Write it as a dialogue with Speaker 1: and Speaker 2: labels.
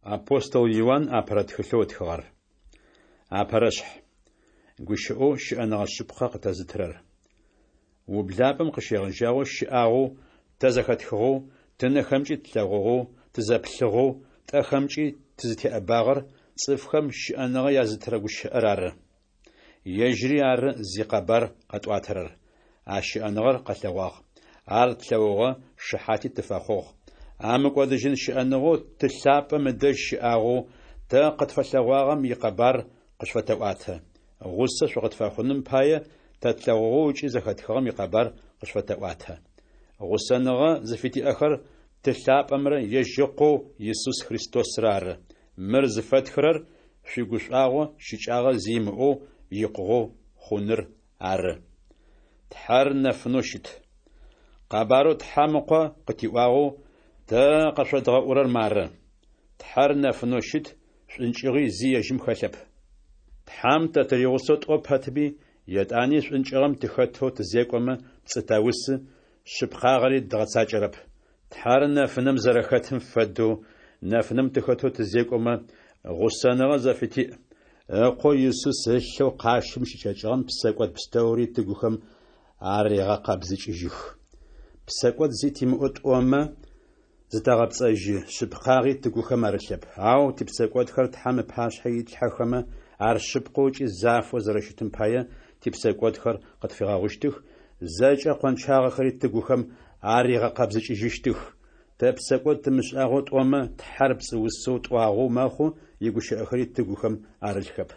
Speaker 1: Апостол Иуан апэрэ тхылъэу ытхыгъэр. Апэрэшъхь. Гущыӏэу щыӏэныгъэ шъыпкъэ къытэзытырэр. Ублапӏэм къыщегъэжьагъэу щыӏагъэу, тэ зэхэтхыгъэу, тынэхэмкӏи тлъэгъугъэу, тызэплъыгъэу, тӏэхэмкӏи тызытеӏэбагъэр цӏыфхэм щыӏэныгъэ язытырэ Гущыӏэр ары. Ежьыри ары зикъэбар къэтӏуатэрэр. А щыӏэныгъэр къэлъэгъуагъ. Ар тлъэгъугъэ, шыхьати тыфэхъугъ. А мыкӏодыжьын щыӏэныгъэу Ты лъапӏэм ыдэжь щыӏагъэу тэ къытфэлъэгъуагъэм икъэбар къышъуфэтэӏуатэ. Гъусэ шъукъытфэхъуным пае тэ тлъэгъугъэу ыкӏи зэхэтхыгъэм икъэбар къышъуфэтэӏуатэ. Гъусэныгъэ зыфытиӏэхэр Ты лъапӏэмрэ ежь Ыкъоу Исус Христосрэ ары. Мыр зыфэтхырэр шъуигушӏуагъо щыкӏагъэ зи имыӏэу икъугъэу хъуныр ары. Тхьэр нэфынэу щыт. Къэбарэу Тхьэм Ыкъо къытиӏуагъэу тэ къэшъодгъэӏурэр мары: Тхьэр нэфынэу щыт, шӏункӏыгъи зи ежьым хэлъэп. Тхьэм тэ тыригъусэу тӏо пэтми, етӏани шӏункӏыгъэм тыхэтэу тызекӏомэ, пцӏы тэусы, шъыпкъагъэри дгъэцакӏэрэп. Тхьэр нэфынэм зэрэхэтым фэдэу, нэфынэм тыхэтэу тызекӏомэ, гъусэныгъэ зэфытиӏ. Ыкъоу Исус ылъэу къащым щыкӏэкӏыгъэм псэкӏод пстэури тыгухэм арегъэкъэбзыкӏыжьых. Псэкӏод зи тимыӏэу тӏомэ, зытэгъэпцӏэжьы, шъыпкъагъи тыгухэм арылъэп. Ау типсэкӏодхэр Тхьэм ыпашъхьэ итлъхьэхэмэ, ар шъыпкъэу ыкӏи зафэу зэрэщытым пае, типсэкӏодхэр къытфигъэгъущтых, зэкӏэ къончагъэхэри тыгухэм аригъэкъэбзыкӏыжьыщтых. Тэ псэкӏод тымышӏагъэу тӏомэ, Тхьэр пцӏыусэу тӏуагъэу мэхъу, игущыӏэхэри тыгухэм арылъхэп.